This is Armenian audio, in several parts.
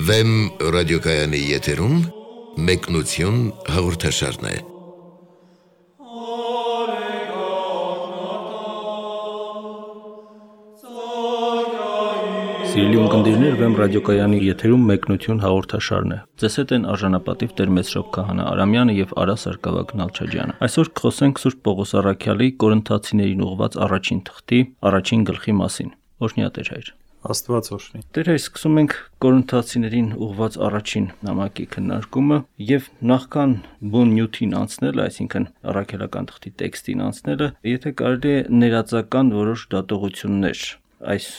Վեմ ռադիոկայանի եթերում մեկնություն հաղորդաշարն է։ Սիրելի ունկնդիրներ, Վեմ ռադիոկայանի եթերում մեկնություն հաղորդաշարն է։ Ձեզ հետ են արժանապատիվ Տեր Մեսրոպ Քահանա Արամյանը եւ Արա Սարգսակ Նալչաջյանը։ Այսօր կխոսենք Սուրբ Պողոս առաքյալի Կորինթացիներին ուղղված առաջին թղթի առաջին գլխի մասին։ Օրհնյա Տեր հայր։ Աստված օրհնի։ Տեր հայր, սկսում ենք Կորինթացիներին ուղղված առաջին նամակի քննարկումը եւ նախքան բուն նյութին անցնելը, այսինքն առաքելական թղթի տեքստին անցնելը, եթե կարելի է ներածական որոշ դատողություններ այս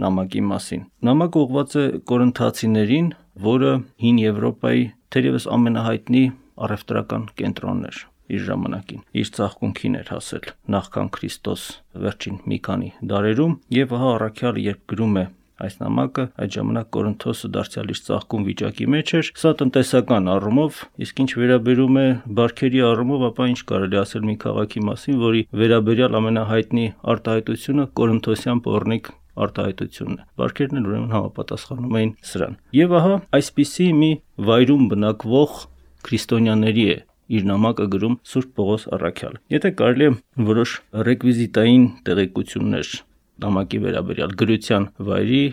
նամակի մասին։ Նամակը ուղղված է Կորինթացիներին, որը հին Եվրոպայի թերևս ամենահայտնի առևտրական կենտրոնն էր իր ժամանակին, իր ծաղկունքին էր հասել նախքան Քրիստոս վերջին մի քանի դարերում, եւ ահա առաքյալը երբ գրում է այս նամակը, այդ ժամանակ Կորինթոսը դարձյալ իր ծաղկուն վիճակի մեջ էր, սա տնտեսական առումով, իսկ ինչ վերաբերում է բարքերի առումով, ապա ինչ կարելի ասել մի քաղաքի մասին, որի վերաբերյալ ամենահայտնի արտահայտությունը Կորինթոսյան պոռնիկ արտահայտությունն է։ Բարքերն էլ ուրեմն համապատասխանում էին սրան։ Եվ ահա այսպիսի մի վայրում բնակվող քրիստոնյաների է իր նամակը գրում Սուրբ Պողոս առաքյալը։ Եթե կարելի է որոշ ռեկվիզիտային տեղեկություններ նամակի վերաբերյալ գրության վայրի,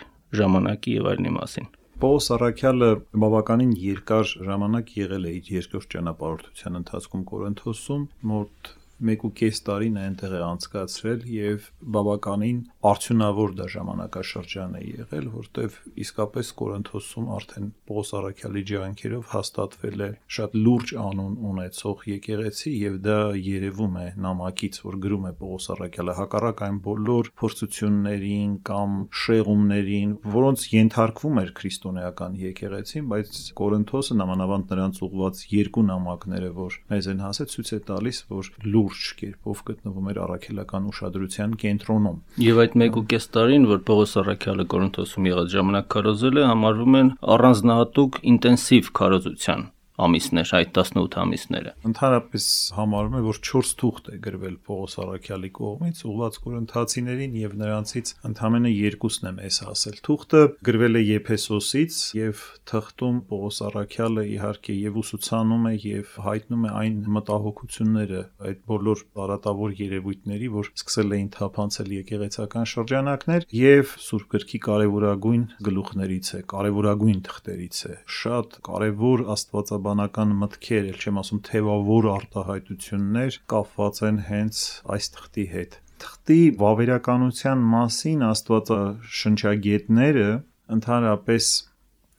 ժամանակի եւ այլնի մասին։ Պողոս առաքյալը բավականին երկար ժամանակ եղել է իր երկրորդ ճանապարհորդության ընթացքում Կորինթոսում, մոտ 1.5 տարին այնտեղ է անցկացրել եւ բավականին արդյունավոր դա ժամանակաշրջան է եղել, որտեվ իսկապես Կորինթոսում արդեն Պողոս առաքյալի ջանքերով հաստատվել է շատ լուրջ անուն ունեցող եկեղեցի եւ դա երևում է նամակից, որ գրում է Պողոս առաքյալը, հակառակ այն բոլոր փորձություններին կամ շեղումներին, որոնց ենթարկվում էր քրիստոնեական եկեղեցին, բայց Կորինթոսը նամանավանդ նրանց ուղված երկու նամակները, որ մեզ են հասել, ցույց է տալիս, որ լուրջ կերպով գտնվում էր առաքելական ուշադրության կենտրոնում։ Եվ այդ 1.5 տարին, որ Պողոս առաքյալը Կորինթոսում եղած ժամանակ քարոզել է, համարվում են առանձնահատուկ ինտենսիվ քարոզության ամիսներ, այդ 18 ամիսները։ Ընդհանրապես համարվում է, որ 4 թուղթ է գրվել Պողոս առաքյալի կողմից ուղղված Կորինթացիներին եւ նրանցից ընդամենը 2-ն է մեզ հասել։ Թուղթը գրվել է Եփեսոսից եւ թղթում Պողոս առաքյալը իհարկե եւ ուսուցանում է եւ հայտնում է այն մտահոգությունները, այդ բոլոր բարատավոր երևույթների, որ սկսել էին թափանցել եկեղեցական շրջանակներ եւ Սուրբ գրքի կարեւորագույն գլուխներից է, կարեւորագույն թղթերից է։ Շատ կարեւոր աստվածաբանական մտքեր, ել չեմ ասում թևավոր արտահայտություններ կապված են հենց այս թղթի հետ։ Թղթի վավերականության մասին աստվածաշնչագետները ընդհանրապես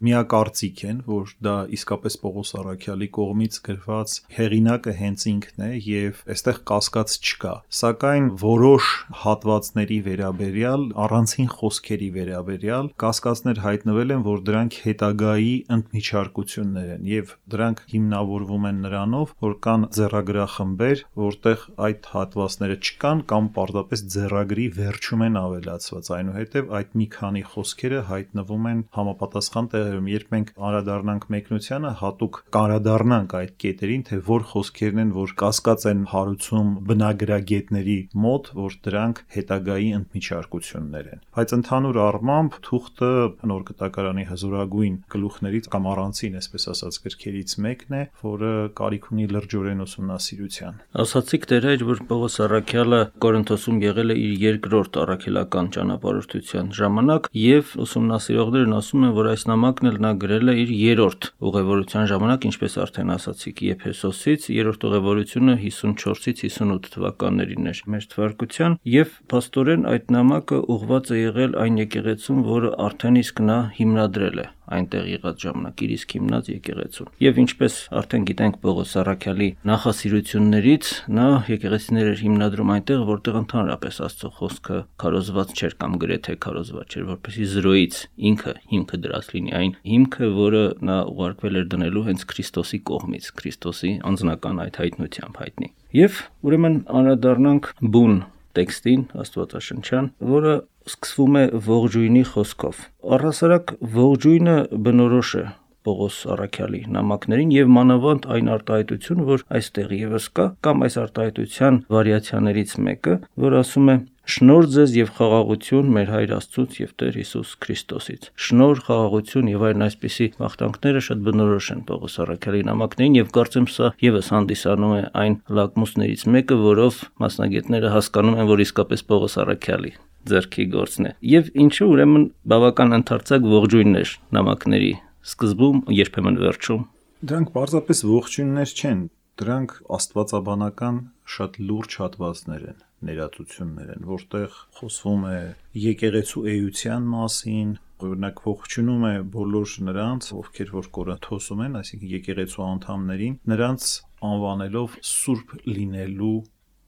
միակարծիք են, որ դա իսկապես Պողոս առաքյալի կողմից գրված հեղինակը հենց ինքն է եւ այստեղ կասկած չկա, սակայն որոշ հատվածների վերաբերյալ, առանցին խոսքերի վերաբերյալ կասկածներ հայտնվել են, որ դրանք հետագայի ընդմիջարկություններ են եւ դրանք հիմնավորվում են նրանով, որ կան ձեռագրախմբեր, որտեղ այդ հատվածները չկան կամ պարզապես ձեռագրի վերջում են ավելացված, այնուհետեւ այդ մի քանի խոսքերը հայտնվում են համապատասխան երբ մենք անդրադառնանք մեկնությանը, հատուկ անդրադառնանք այդ կետերին, թե որ խոսքերն են, որ կասկած են հարուցում բնագրագետների մոտ, որ դրանք հետագայի ընդմիջարկություններ են։ Բայց ընդհանուր առմամբ թուղթը նոր կտակարանի հզորագույն գլուխներից կամ առանցին, այսպես ասած, գրքերից մեկն է, որը կարիք ունի լրջորեն ուսումնասիրության։ Ասացիք Տեր հայր, որ Պողոս առաքյալը Կորինթոսում եղել է իր երկրորդ առաքելական ճանապարհորդության ժամանակ եւ ուսումնասիրողներն ասում են, որ այս նամակը նա գրել է իր երրորդ ուղևորության ժամանակ, ինչպես արդեն ասացիք, Եփեսոսից, երրորդ ուղևորությունը 54-ից 58 թվականներին էր մեր թվարկության, եւ փաստորեն այդ նամակը ուղղված է եղել այն եկեղեցուն, որը արդեն իսկ նա հիմնադրել է այնտեղ եղած ժամանակ իր իսկ հիմնած եկեղեցուն։ Եվ ինչպես արդեն գիտենք Պողոս առաքյալի նախասիրություններից, նա եկեղեցիներ էր հիմնադրում այնտեղ, որտեղ ընդհանրապես Աստծո խոսքը քարոզված չէր կամ գրեթե քարոզված չէր, որպեսզի զրոյից ինքը հիմքը դրած լինի, այն հիմքը, որը նա ուղարկվել էր դնելու հենց Քրիստոսի կողմից, Քրիստոսի անձնական այդ հայտնությամբ հայտնի։ Եվ ուրեմն անդրադառնանք բուն տեքստին, աստվածաշնչյան, որը սկսվում է ողջույնի խոսքով։ Առհասարակ ողջույնը բնորոշ է Պողոս առաքյալի նամակներին եւ մանավանդ այն արտահայտությունը, որ այստեղ եւս կա, կամ այս արտահայտության վարիացիաներից մեկը, որ ասում է Շնորհ ձեզ եւ խաղաղություն մեր Հայր Աստծուց եւ Տեր Հիսուս Քրիստոսից։ Շնորհ, խաղաղություն եւ այլն այսպիսի մաղթանքները շատ բնորոշ են Պողոս առաքյալի նամակներին եւ կարծեմ սա եւս հանդիսանում է այն լակմուսներից մեկը, որով մասնագետները հասկանում են, որ իսկապես Պողոս առաքյալի ձեռքի գործն է։ Եվ ինչու ուրեմն բավական ընդարձակ ողջույններ նամակների սկզբում, երբեմն վերջում։ Դրանք պարզապես ողջույններ չեն, դրանք աստվածաբանական շատ լուրջ հատվածներ են, ներածություններ են, որտեղ խոսվում է եկեղեցու էության մասին, օրինակ ողջունում է բոլոր նրանց, ովքեր որ Կորինթոսում են, այսինքն եկեղեցու անդամներին, նրանց անվանելով սուրբ լինելու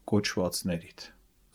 կոչվածներիդ,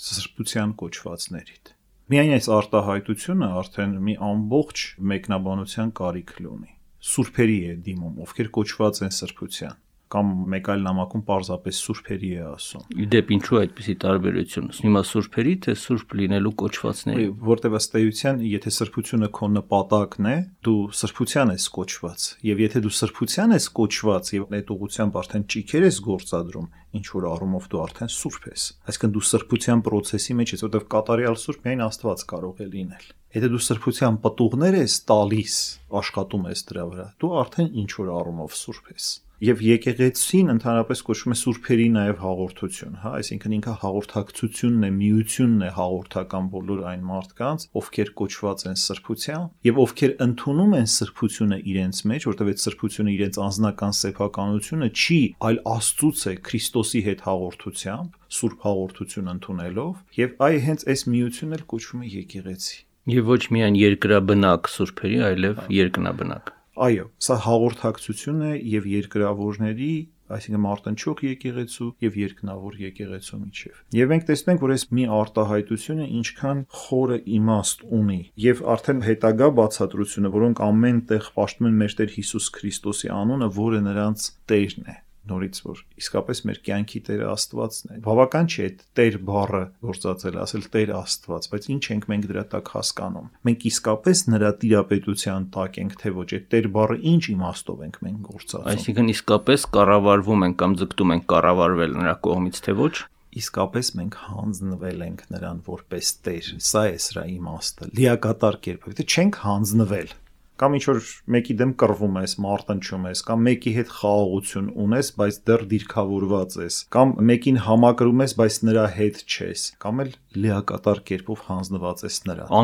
սրբության կոչվածներիդ։ Միայն այս արտահայտությունը արդեն մի ամբողջ մեկնաբանության կարիք ունի։ Սուրբերի է դիմում, ովքեր կոչված են սրբության, կամ մեկ այլ նամակում պարզապես սուրբերի է ասում։ Իդեպ ինչու այդպիսի տարբերություն։ Հիմա սուրբերի թե սուրբ լինելու կոչվածների։ Որտեղ ըստ էության, եթե սրբությունը քո նպատակն է, դու սրբության ես կոչված, եւ եթե դու սրբության ես կոչված եւ այդ ուղղությամբ արդեն ճիքեր ես գործադրում, ինչ որ առումով դու արդեն սուրբ ես։ Այսինքն դու սրբության process-ի մեջ ես, որտեղ կատարյալ սուրբ միայն Աստված կարող է լինել։ Եթե դու սրբության պտուղներ ես տալիս, աշխատում ես դրա վրա, դու արդեն ինչ որ առումով սուրբ ես։ Եվ եկեղեցին ընդհանրապես կոչվում է սուրբերի նաև հաղորդություն, հա, այսինքն ինքը հաղորդակցությունն է, միությունն է հաղորդական բոլոր այն մարդկանց, ովքեր կոչված են սրբության, եւ ովքեր ընդունում են սրբությունը իրենց մեջ, որտեղ այդ սրբությունը իրենց անձնական սեփականությունը չի, այլ Աստծուց է Քրիստոսի հետ հաղորդությամբ, սուրբ հաղորդություն ընդունելով, եւ այ հենց այս միությունն էլ կոչվում է եկեղեցի։ Եվ ոչ միայն երկրաբնակ սուրբերի, այլև երկնաբնակ։ Այո, սա հաղորդակցություն է եւ երկրավորների, այսինքն մարտնչող եկեղեցու եւ երկնավոր եկեղեցու միջեւ։ Եվ մենք տեսնում ենք, որ այս մի արտահայտությունը ինչքան խորը իմաստ ունի եւ արդեն հետագա բացատրությունը, որոնք ամեն տեղ պաշտում են մեր Տեր Հիսուս Քրիստոսի անունը, որը նրանց Տերն է։ Նորից որ իսկապես մեր կյանքի Տերը Աստվածն է։ Բավական չէ այդ Տեր բառը գործածել, ասել Տեր Աստված, բայց ինչ ենք մենք դրա տակ հասկանում։ Մենք իսկապես նրա տիրապետության տակ ենք, թե ոչ, այդ Տեր բառը ինչ իմաստով ենք մենք գործածում։ Այսինքն իսկապես կառավարվում ենք կամ ձգտում ենք կառավարվել նրա կողմից, թե ոչ։ Իսկապես մենք հանձնվել ենք նրան որպես Տեր։ Սա է սրա իմաստը։ Լիակատար կերպով, եթե չենք հանձնվել, կամ ինչ որ մեկի դեմ կռվում ես, մարտնչում ես, կամ մեկի հետ խաղաղություն ունես, բայց դեռ դիրքավորված ես, կամ մեկին համակրում ես, բայց նրա հետ չես, կամ էլ լիակատար կերպով հանձնված ես նրան։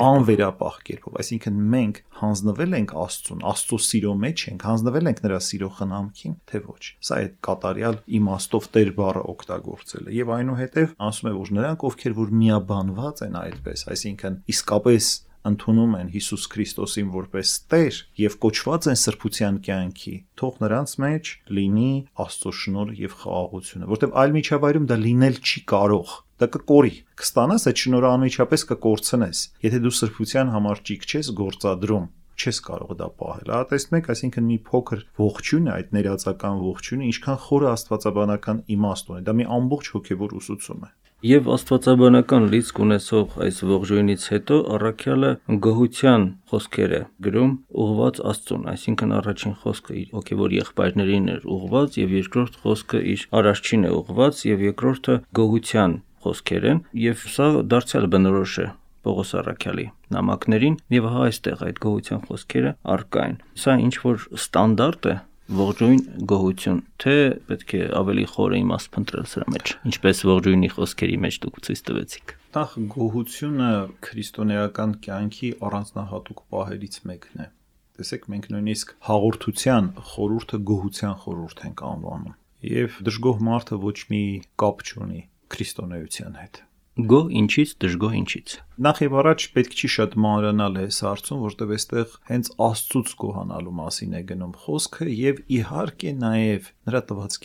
Անվերապահ կերպով, այսինքն մենք հանձնվել ենք Աստծուն, Աստծո սիրո մեջ ենք, հանձնվել ենք նրա սիրո խնամքին, թե ոչ։ Սա է կատարյալ իմաստով Տեր բառը օգտագործելը, եւ այնուհետեւ ասում է, որ նրանք, ովքեր որ միաբանված են այդպես, այսինքն իսկապես ընդունում են Հիսուս Քրիստոսին որպես Տեր եւ կոչված են սրբության կյանքի, թող նրանց մեջ լինի Աստծո շնորհ եւ խաղաղությունը, որտեղ այլ միջավայրում դա լինել չի կարող։ Դա կկորի, կստանաս այդ շնորհը անմիջապես կկորցնես։ Եթե դու սրբության համար ճիք չես գործադրում, չես կարող դա պահել։ Ահա տեսնում եք, այսինքն մի փոքր ողջույն է, այդ ներածական ողջույնը ինչքան խորը աստվածաբանական իմաստ ունի։ Դա մի ամբողջ հոգևոր ուսուցում է։ Եվ աստվածաբանական լիցք ունեցող այս ողջույնից հետո առաքյալը գոհության խոսքեր է գրում ուղղված Աստծուն, այսինքն առաջին խոսքը իր հոգևոր եղբայրներին էր ուղղված եւ երկրորդ խոսքը իր արարչին է ուղղված եւ երկրորդը գոհության խոսքեր են եւ սա դարձյալ բնորոշ է Պողոս առաքյալի նամակներին եւ հա այստեղ այդ գոհության խոսքերը առկա են։ Սա ինչ որ ստանդարտ է ողջույն գոհություն, թե պետք է ավելի խորը իմաստ փնտրել սրա մեջ, ինչպես ողջույնի խոսքերի մեջ դուք ցույց տվեցիք։ Նախ գոհությունը քրիստոնեական կյանքի առանձնահատուկ պահերից մեկն է։ Տեսեք, մենք նույնիսկ հաղորդության խորհուրդը գոհության խորհուրդ ենք անվանում։ Եվ դժգոհ մարդը ոչ մի կապ չունի քրիստոնեության հետ։ Գոհ ինչից, դժգոհ ինչից։ Նախ եւ առաջ պետք չի շատ մանրանալ այս հարցում, որտեղ այստեղ հենց Աստծուց գոհանալու մասին է գնում խոսքը եւ իհարկե նաեւ նրա տված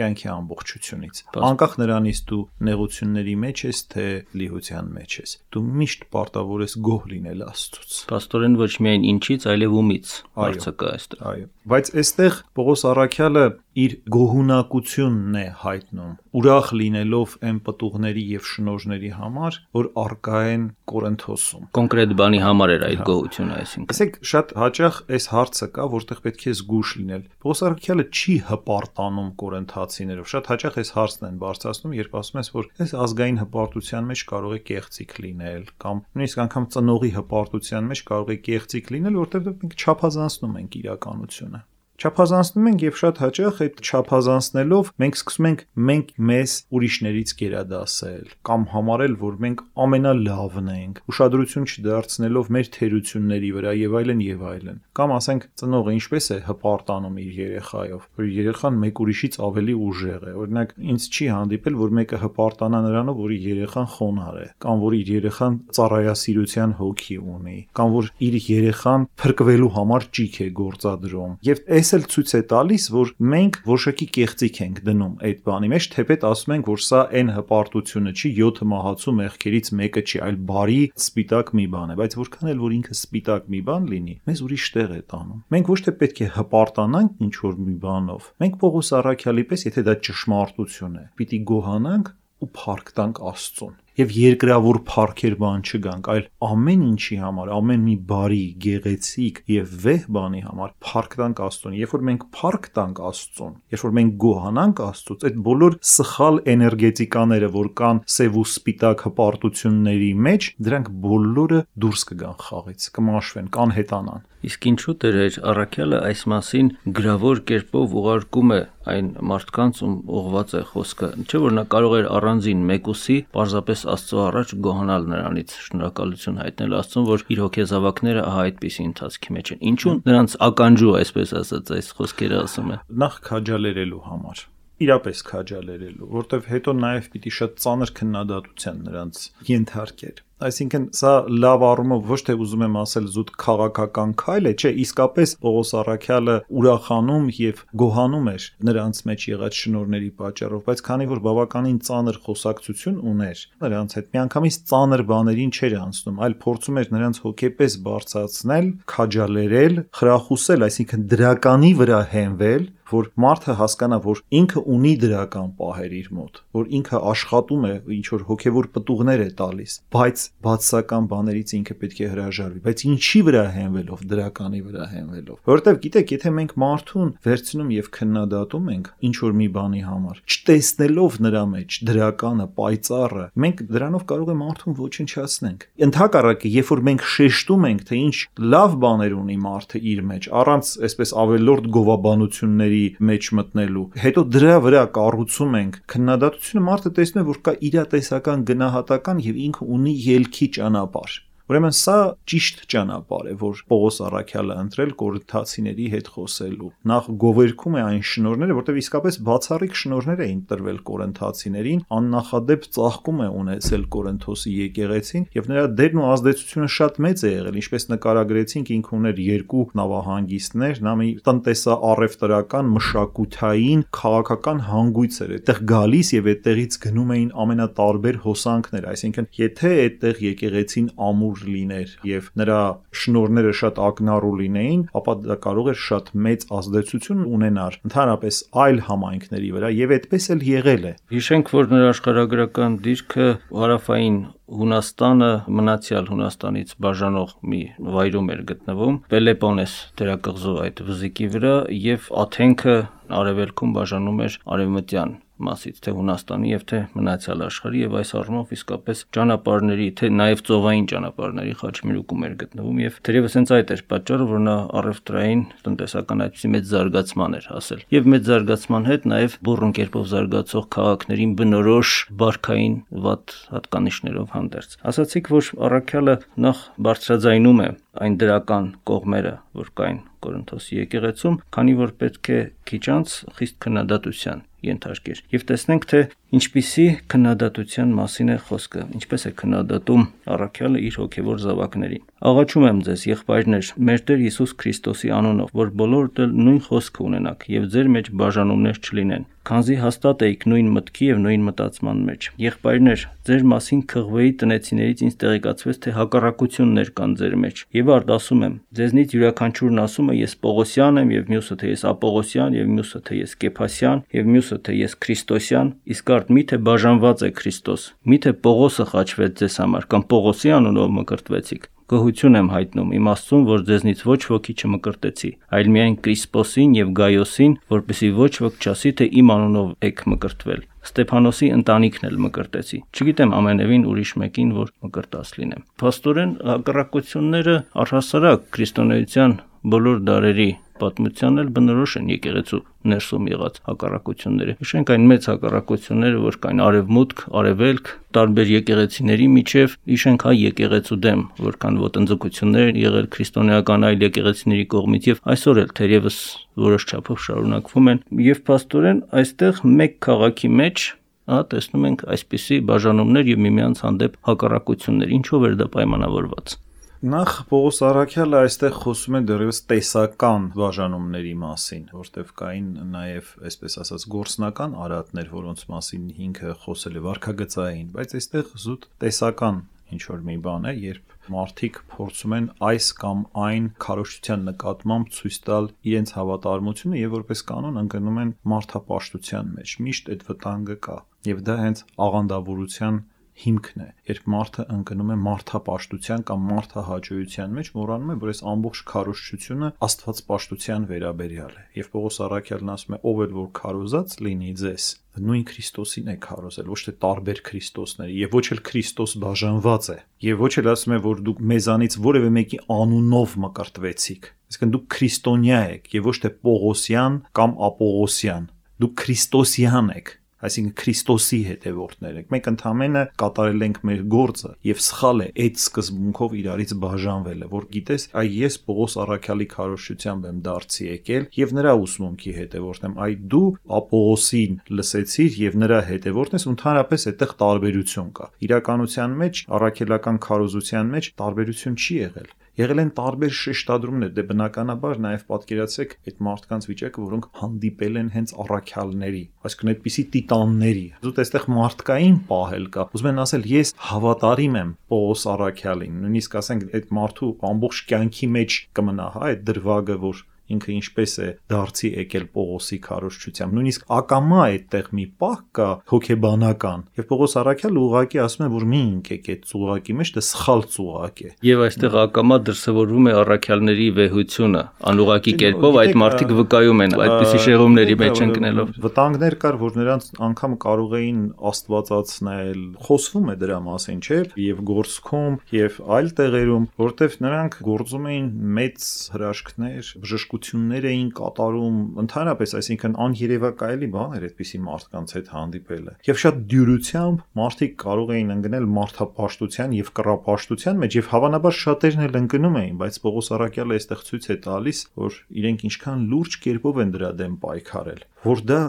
կյանքի ամբողջությունից։ Անկախ նրանից դու նեղությունների մեջ ես, թե լիհության մեջ ես, դու միշտ պարտավոր ես գոհ լինել Աստծուց։ Պաստորեն ոչ միայն ինչից, այլև ումից հարցը կա այստեղ։ Այո։ Բայց այստեղ Պողոս առաքյալը իր գոհունակությունն է հայտնում, ուրախ լինելով այն պտուղների եւ շնորհների համար, որ արկա են Կորինթոսում։ Կոնկրետ բանի համար էր այդ գոհությունը, այսինքն։ Ասեք, շատ հաճախ այս հարցը կա, որտեղ պետք է զգուշ լինել։ Պողոս առաքյալը չի հպարտանում կորինթացիներով։ Շատ հաճախ այս հարցն են բարձրացնում, երբ ասում ես, որ այս ազգային հպարտության մեջ կարող է կեղծիք լինել, կամ նույնիսկ անգամ ծնողի հպարտության մեջ կարող է կեղծիք լինել, որտեղ մենք չափազանցնում ենք իրականությունը։ Չափազանցնում ենք եւ շատ հաճախ այդ չափազանցնելով մենք սկսում ենք մեզ ուրիշներից գերադասել կամ համարել, որ մենք ամենալավն ենք, ուշադրություն չդարձնելով մեր թերությունների վրա եւ այլն եւ այլն։ Կամ ասենք ծնողը ինչպես է հպարտանում իր երեխայով, որ երեխան մեկ ուրիշից ավելի ուժեղ է։ Օրինակ ինձ չի հանդիպել, որ մեկը հպարտանա նրանով, որ իր երեխան խոնարհ է, կամ որ իր երեխան ծառայասիրության հոգի ունի, կամ որ իր երեխան փրկվելու համար ճիք է գործադրում։ Եվ էլ ցույց է տալիս, որ մենք որոշակի կեղծիք ենք դնում այդ բանի մեջ, թեպետ ասում ենք, որ սա այն հպարտությունը չի, 7 մահացու մեղքերից մեկը չի, այլ բարի սպիտակ մի բան է, բայց որքան էլ որ ինքը սպիտակ մի բան լինի, մեզ ուրիշ տեղ է տանում։ Մենք ոչ թե պետք է հպարտանանք ինչ որ մի բանով։ Մենք Պողոս առաքյալի պես, եթե դա ճշմարտություն է, պիտի գոհանանք ու փառք տանք Աստծուն։ Եվ երկրավոր փառքեր բան չգանք, այլ ամեն ինչի համար, ամեն մի բարի, գեղեցիկ եւ վեհ բանի համար փառք տանք Աստծուն։ Երբ որ մենք փառք տանք Աստծուն, երբ որ մենք գոհանանք Աստծուց, այդ բոլոր սխալ էներգետիկաները, որ կան սև ու սպիտակ հպարտությունների մեջ, դրանք բոլորը դուրս կգան խաղից, կմաշվեն, կանհետանան։ Իսկ ինչու Տեր առաքյալը այս մասին գրավոր կերպով ուղարկում է այն մարդկանց, ում ուղված է խոսքը, չէ՞ որ նա կարող էր առանձին մեկուսի պարզապես Աստծո առաջ գոհանալ նրանից, շնորհակալություն հայտնել Աստծուն, որ իր հոգեզավակները ահա այդպիսի ընթացքի մեջ են։ Ինչու նրանց ականջու, այսպես ասած, այս խոսքերը ասում է։ Նախ քաջալերելու համար, իրապես քաջալերելու, որտեվ հետո նաև պիտի շատ ծանր քննադատության նրանց ենթարկեր։ Այսինքն սա լավ առումով ոչ թե ուզում եմ ասել զուտ քաղաքական քայլ է, չէ, իսկապես Պողոս առաքյալը ուրախանում եւ գոհանում էր նրանց մեջ եղած շնորհների պատճառով, բայց քանի որ բավականին ծանր խոսակցություն ուներ նրանց հետ, միանգամից ծանր բաներին չէր անցնում, այլ փորձում էր նրանց հոգեպես բարձրացնել, քաջալերել, խրախուսել, այսինքն դրականի վրա հենվել, որ մարդը հասկանա, որ ինքը ունի դրական պահեր իր մոտ, որ ինքը աշխատում է, ինչ որ հոգևոր պտուղներ է տալիս, բայց բացասական բաներից ինքը պետք է հրաժարվի, բայց ինչի վրա հենվելով, դրականի վրա հենվելով։ Որովհետև գիտեք, եթե մենք մարդուն վերցնում եւ քննադատում ենք ինչ որ մի բանի համար, չտեսնելով նրա մեջ դրականը, պայծառը, մենք դրանով կարող է մարդուն ոչնչացնենք։ Ընդհակառակը, երբ որ մենք շեշտում ենք, թե ինչ լավ բաներ ունի մարդը իր մեջ, առանց այսպես ավելորդ գովաբանությունների մեջ մտնելու, հետո դրա վրա կառուցում ենք քննադատությունը, մարդը տեսնում է, որ կա իրատեսական գնահատական եւ ինքը ունի ելքի ճանապարհ։ Ուրեմն սա ճիշտ ճանապարհ է, որ Պողոս առաքյալը ընտրել կորինթացիների հետ խոսելու։ Նախ գովերքում է այն շնորհները, որտեղ իսկապես բացառիկ շնորհներ էին տրվել կորինթացիներին, աննախադեպ ծաղկում է ունեցել Կորինթոսի եկեղեցին, եւ նրա դերն ու ազդեցությունը շատ մեծ է եղել, ինչպես նկարագրեցինք, ինքը ուներ 2 նավահանգիստներ, նա մի տնտեսա-առևտրական, մշակութային, քաղաքական հանգույց էր, այդտեղ գալիս եւ այդտեղից գնում էին ամենատարբեր հոսանքներ, այսինքն եթե այդտեղ եկեղեցին ամուր լիներ եւ նրա շնորհները շատ ակնառու լինեին, ապա դա կարող էր շատ մեծ ազդեցություն ունենալ ընդհանրապես այլ համայնքների վրա եւ այդպես էլ եղել է։ Հիշենք, որ նրա աշխարհագրական դիրքը հարավային Հունաստանը մնացյալ Հունաստանից բաժանող մի վայրում էր գտնվում, Պելեպոնես դերակղզու այդ վզիկի վրա, եւ Աթենքը արևելքում բաժանում էր արևմտյան մասից, թե Հունաստանի եւ թե մնացյալ աշխարհի, եւ այս առումով իսկապես ճանապարհների, թե նաեւ ծովային ճանապարհների խաչմերուկում էր գտնվում, եւ թերևս հենց այդ էր պատճառը, որ նա առևտրային տնտեսական այդպիսի մեծ զարգացման էր հասել։ Եվ մեծ զարգացման հետ նաեւ բուռն կերպով զարգացող քաղաքներին բնորոշ բարքային վատ հատկանիշներով հանդերձ։ Ասացիք, որ առաքյալը նախ բարձրաձայնում է այն դրական կողմերը, որ կային Կորինթոսի եկեղեցում, քանի որ պետք է քիչ անց խիստ քննադատության ենթարկեր։ Եվ տեսնենք, թե ինչպիսի քննադատության մասին է խոսքը, ինչպես է քննադատում առաքյալը իր հոգևոր զավակներին։ Աղաչում եմ ձեզ, եղբայրներ, մեր Տեր Հիսուս Քրիստոսի անունով, որ բոլորդ էլ նույն խոսքը ունենաք եւ ձեր մեջ բաժանումներ չլինեն, քանզի հաստատ էիք նույն մտքի եւ նույն մտածման մեջ։ Եղբայրներ, ձեր մասին Քղվեի տնեցիներից ինձ տեղեկացվեց, թե հակառակություններ կան ձեր մեջ։ Եվ արդ ասում եմ, ձեզնից յուրաքանչյուրն ասում է ես Պողոսյան եմ, եւ մյուսը թե ես Ապողոսյան, եւ մյուսը թե ես Կեփասյան, եւ մյուսը թե ես Քրիստոսյան, իսկ արդ միթե բաժանված է Քրիստոս։ Միթե Պողոսը խաչվեց ձեզ համար, կամ Պողոսի անունով մկրտվեցիք։ Գոհություն եմ հայտնում իմ Աստծուն, որ ձեզնից ոչ ոքի չմկրտեցի, այլ միայն Կրիսպոսին եւ Գայոսին, որպեսզի ոչ ոք չասի, թե իմ անունով եք մկրտվել։ Ստեփանոսի ընտանիքն էլ մկրտեցի։ Չգիտեմ ամենևին ուրիշ մեկին, որ մկրտած լինեմ։ Փաստորեն հակառակությունները առհասարակ քրիստոնեության բոլոր դարերի պատմությանն էլ բնորոշ են եկեղեցու ներսում եղած հակառակությունները։ Հիշենք այն մեծ հակառակությունները, որ կային արևմուտք, արևելք, տարբեր եկեղեցիների միջև, հիշենք հայ եկեղեցու դեմ, որքան ոտնձգություններ եղել քրիստոնեական այլ եկեղեցիների կողմից եւ այսօր էլ թերևս որոշ չափով շարունակվում են։ Եվ փաստորեն այստեղ մեկ քաղաքի մեջ տեսնում ենք այսպիսի բաժանումներ եւ միմյանց հանդեպ հակառակություններ, ինչով էր դա պայմանավորված։ Նախ Պողոս Առաքյալը այստեղ խոսում է դեռևս տեսական բաժանումների մասին, որտեղ կային նաև, այսպես ասած, գործնական արատներ, որոնց մասին ինքը խոսել է վարքագծային, բայց այստեղ զուտ տեսական ինչ որ մի բան է, երբ մարդիկ փորձում են այս կամ այն քարոզչության նկատմամբ ցույց տալ իրենց հավատարմությունը եւ որպես կանոն ընկնում են մարդապաշտության մեջ։ Միշտ այդ վտանգը կա եւ դա հենց աղանդավորության հիմքն է, երբ մարդը ընկնում է մարդապաշտության կամ մարդահաճույության մեջ, մոռանում է, որ այս ամբողջ քարոզչությունը աստվածպաշտության վերաբերյալ է։ Եվ Պողոս Առաքյալն ասում է, ով էլ որ քարոզած լինի ձեզ, նույն Քրիստոսին է քարոզել, ոչ թե տարբեր Քրիստոսների, եւ ոչ էլ Քրիստոս բաժանված է, եւ ոչ էլ ասում է, որ դուք մեզանից որևէ մեկի անունով մկրտվեցիք, այսինքն դուք քրիստոնյա եք եւ ոչ թե Պողոսյան կամ Ապողոսյան, դուք Քրիստոսյան եք, այսինքն Քրիստոսի հետևորդներ եք։ Մենք ընդհանրապես կատարել ենք մեր գործը եւ սխալ է այդ սկզբունքով իրարից բաժանվելը, որ գիտես, այ ես Պողոս Առաքյալի քարոզչությամբ եմ դարձի եկել եւ նրա ուսմունքի հետևորդն եմ, այ դու Ապողոսին լսեցիր եւ նրա հետևորդն ես, ընդհանրապես այդտեղ տարբերություն կա։ Իրականության մեջ, առաքելական քարոզության մեջ տարբերություն չի եղել։ Եղել են տարբեր շեշտադրումներ, դե բնականաբար նաև պատկերացրեք այդ մարդկանց վիճակը, որոնք հանդիպել են հենց առաքյալների, այսինքն այդպիսի տիտանների։ Զուտ այստեղ մարդկային պահել կա։ Ուզում են ասել, ես հավատարիմ եմ Պողոս Առաքյալին, նույնիսկ ասենք այդ մարդու ամբողջ կյանքի մեջ կմնա, այդ դրվագը, որ ինքը ինչպես է դարձի եկել Պողոսի քարոզչությամբ, նույնիսկ ակամա այդտեղ մի պահ կա հոգեբանական, եւ Պողոս Առաքյալը ուղղակի ասում է, որ մի ընկեք այդ ծուղակի մեջ, դա սխալ ծուղակ է։ Եվ այստեղ ակամա դրսևորվում է առաքյալների վեհությունը, անուղակի կերպով այդ մարդիկ վկայում են այդպիսի շեղումների մեջ ընկնելով։ Վտանգներ կար, որ նրանց անգամ կարող էին աստվածացնել, խոսվում է դրա մասին, չէ՞, եւ գործքում, եւ այլ տեղերում, որտեվ նրանք գործում էին մեծ հրաշքներ, բժշկություններ էին կատարում, ընդհանրապես, այսինքն աներևակայելի բան էր այդպիսի մարդկանց հետ հանդիպելը։ Եվ շատ դյուրությամբ մարդիկ կարող էին ընկնել մարդապաշտության եւ կռապաշտության մեջ, եւ հավանաբար շատերն էլ ընկնում էին, բայց Պողոս Առաքյալը այստեղ ցույց է տալիս, որ իրենք ինչքան լուրջ կերպով են դրա դեմ պայքարել, որ դա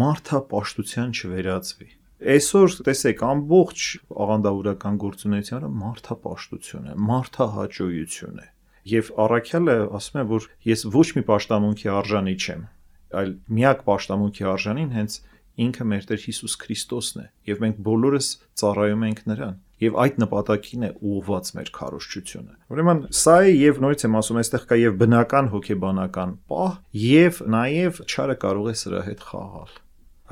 մարդապաշտության չվերածվի։ Այսօր տեսեք, ամբողջ աղանդավորական գործունեությունը մարդապաշտություն է, մարդահաճույություն է։ Եվ Առաքյալը ասում է, որ ես ոչ մի պաշտամունքի արժանի չեմ, այլ միակ պաշտամունքի արժանին հենց ինքը մեր Տեր Հիսուս Քրիստոսն է, եւ մենք բոլորս ծառայում ենք նրան, եւ այդ նպատակին է ուղղված մեր քարոզչությունը։ Ուրեմն սա է, եւ նորից եմ ասում, այստեղ կա եւ բնական հոգեբանական պահ, եւ նաեւ չարը կարող է սրա հետ խաղալ։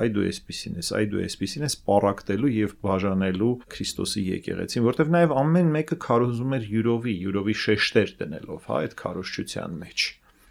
Այ դու այսպեսին ես պարակտելու եւ բաժանելու Քրիստոսի եկեղեցին, որտեվ նաեւ ամեն մեկը քարոզում էր յուրովի շեշտեր դնելով, այդ քարոզչության մեջ։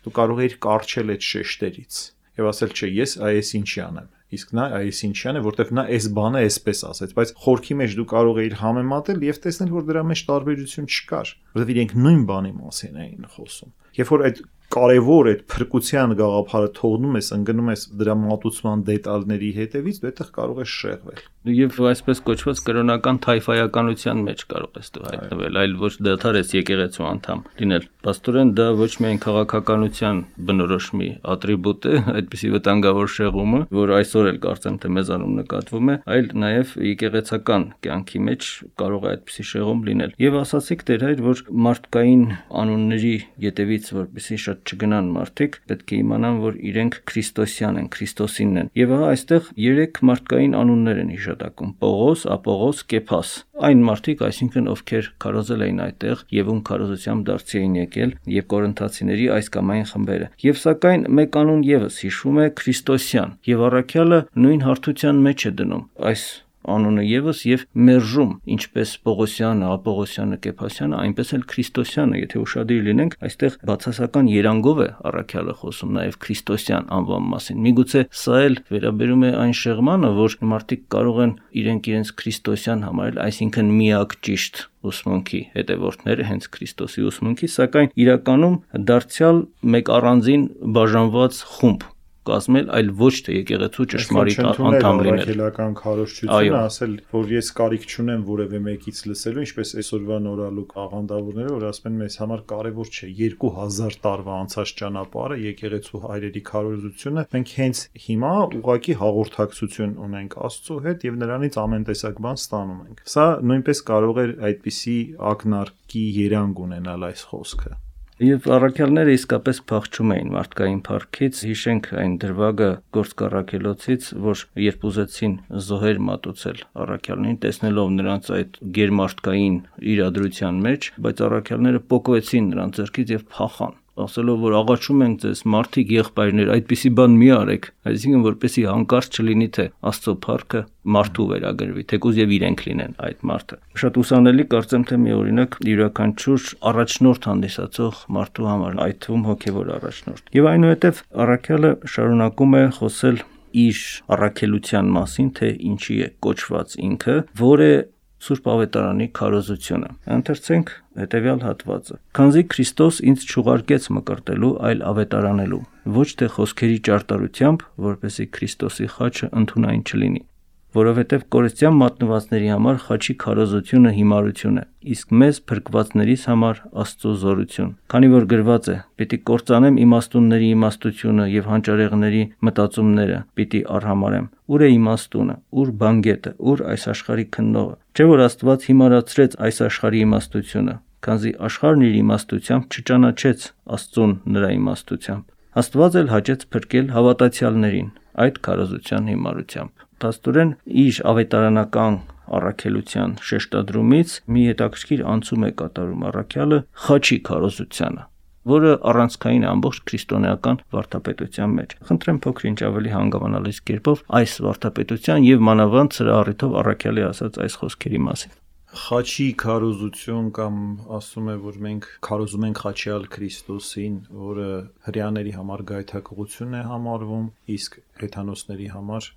Դու կարող ես կարճել այդ շեշտերից եւ ասել, չէ, ես այս ինչի անեմ։ Իսկ նա այս ինչի անը, որտեվ նա այս բանը այսպես ասեց, բայց խորքի մեջ դու կարող ես համեմատել եւ տեսնել, որ դրա մեջ տարբերություն չկար, որտեվ իրենք նույն բանի մասին էին խոսում։ Երբ որ այդ կարևոր այդ փրկության գաղափարը թողնում ես, ընկնում ես դրա մատուցման դետալների հետևից, դու այդտեղ կարող ես շեղվել։ Եվ այսպես կոչված կրոնական թայֆայականության մեջ կարող ես դու հայտնվել, այլ ոչ դադար ես եկեղեցու անդամ լինել։ Պաստորեն դա ոչ միայն քաղաքականության բնորոշ մի ատրիբուտ է, այդպիսի վտանգավոր շեղումը, որ այսօր էլ կարծեմ թե մեզանում նկատվում է, այլ նաև եկեղեցական կյանքի մեջ կարող է այդպիսի շեղում լինել։ Եվ ասացիք Տեր հայր, որ մարդկային անունների ետևից որպեսզի շատ չգնան մարդիկ, պետք է իմանան, որ իրենք քրիստոսյան են, Քրիստոսինն են։ Եվ այստեղ 3 մարդկային անուններ են հիշատակում՝ Պողոս, Ապողոս, Կեփաս։ Այն մարդիկ, այսինքն ովքեր քարոզել էին այդտեղ եւ ում քարոզությամբ դարձի էին եկել, եւ կորինթացիների այս կամ այն խմբերը։ Եվ սակայն մեկ անուն եւս հիշվում է Քրիստոսյան, եւ առաքյալը նույն հարթության մեջ է դնում այս անունը եւս եւ մերժում ինչպես Պողոսյանը, Ապողոսյանը, Կեփասյանը, այնպես էլ Քրիստոսյանը, եթե ուշադիր լինենք, այստեղ բացասական երանգով է առաքյալը խոսում նաեւ Քրիստոսյան անվան մասին։ Միգուցե սա էլ վերաբերում է այն շեղմանը, որ մարդիկ կարող են իրենց Քրիստոսյան համարել, այսինքն միակ ճիշտ ուսմունքի հետևորդները հենց Քրիստոսի ուսմունքի, սակայն իրականում դարձյալ մեկ առանձին բաժանված խումբ կազմել, այլ ոչ թե եկեղեցու ճշմարիտ անդամ լինել։ Առաքելական քարոզչությունը ասել, որ ես կարիք չունեմ որևէ մեկից լսելու, ինչպես այսօրվա նորալուկ աղանդավորները, որ ասում են մեզ համար կարևոր չէ 2000 տարվա անցած ճանապարհը, եկեղեցու հայրերի քարոզությունը, մենք հենց հիմա ուղղակի հաղորդակցություն ունենք Աստծո հետ եւ նրանից ամեն տեսակ բան ստանում ենք։ Սա նույնպես կարող է այդպիսի ակնարկի երանգ ունենալ այս խոսքը։ Եվ առաքյալները իսկապես փախչում էին մարդկային փառքից, հիշենք այն դրվագը գործկառաքելոցից, որ երբ ուզեցին զոհեր մատուցել առաքյալներին, տեսնելով նրանց այդ գերմարդկային իրադրության մեջ, բայց առաքյալները պոկվեցին նրանց ձեռքից եւ փախան, ասելով, որ աղաչում ենք ձեզ, մարդիկ եղբայրներ, այդպիսի բան մի արեք, այսինքն որպեսի հանկարծ չլինի, թե Աստծո փառքը մարդու վերագրվի, թեկուզ եւ իրենք լինեն այդ մարդը։ Շատ ուսանելի կարծեմ, թե մի օրինակ յուրաքանչյուր առաջնորդ հանդիսացող մարդու համար, այդ թվում հոգեվոր առաջնորդ։ Եվ այնուհետև առաքյալը շարունակում է խոսել իր առաքելության մասին, թե ինչի է կոչված ինքը, որը Սուրբ Ավետարանի քարոզությունը։ Ընթերցենք հետևյալ հատվածը։ Քանզի Քրիստոս ինձ չուղարկեց մկրտելու, այլ ավետարանելու, ոչ թե խոսքերի ճարտարությամբ, որպեսզի Քրիստոսի խաչը ընդունային չլինի, որովհետև կորստյան մատնվածների համար խաչի քարոզությունը հիմարություն է, իսկ մեզ փրկվածներիս համար Աստծո զորություն։ Քանի որ գրված է. «Պիտի կործանեմ իմաստունների իմաստությունը եւ հանճարեղների մտածումները պիտի արհամարեմ»։ Ուր է իմաստությունը, ուր բանգետը, ուր այս աշխարհի քննողը։ Չէ՞ որ Աստված հիմարացրեց այս աշխարհի իմաստությունը, քանզի աշխարհն իր իմաստությամբ չճանաչեց Աստծուն նրա իմաստությամբ։ Աստված էլ հաճեց փրկել հավատացյալներին այդ քարոզության հիմարությամբ։ Փաստորեն իր ավետարանական առաքելության շեշտադրումից մի հետաքրքիր անցում է կատարում առաքյալը խաչի քարոզությանը, որը առանցքային է ամբողջ քրիստոնեական վարդապետության մեջ։ Խնդրեմ փոքր-ինչ ավելի հանգամանալից կերպով այս վարդապետության եւ մանավանդ սրա առիթով առաքյալի ասած այս խոսքերի մասին։ Խաչի քարոզություն կամ ասում է, որ մենք քարոզում ենք խաչյալ Քրիստոսին, որը հրեաների համար գայթակղություն է համարվում, իսկ հեթանոսների համար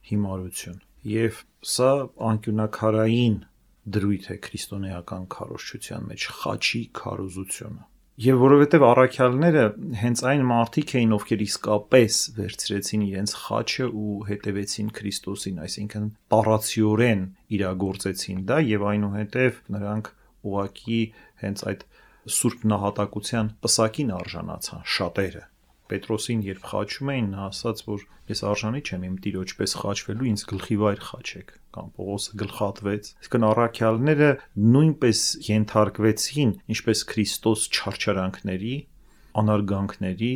հիմարություն։ Եվ սա անկյունակարային դրույթ է քրիստոնեական քարոզչության մեջ խաչի քարոզությունը։ Եվ որովհետև առաքյալները հենց այն մարդիկ էին, ովքեր իսկապես վերցրեցին իրենց խաչը ու հետևեցին Քրիստոսին, այսինքն տառացիորեն իրագործեցին դա եւ այնուհետև նրանք ուղղակի հենց այդ սուրբ նահատակության պսակին արժանացան շատերը։ Պետրոսին երբ խաչում էին, նա ասաց, որ ես արժանի չեմ իմ տիրոջ պես խաչվելու, ինձ գլխի վայր խաչեք, կամ Պողոսը գլխատվեց։ Իսկն առաքյալները նույնպես ենթարկվեցին, ինչպես Քրիստոս չարչարանքների, անարգանքների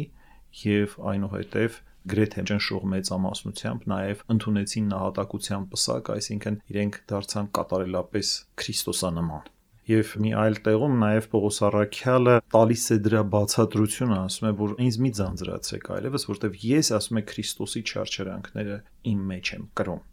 եւ այնուհետև գրեթե ճնշող մեծամասնությամբ նաև ընդունեցին նահատակության պսակ, այսինքն իրենք դարձան կատարելապես Քրիստոսանման։ Եվ մի այլ տեղում նաև Պողոս առաքյալը տալիս է դրա բացատրությունը, ասում է, որ ինձ մի ձանձրացեք այլևս, որտեվ ես ասում է Քրիստոսի չարչարանքները իմ մեջ եմ կրում։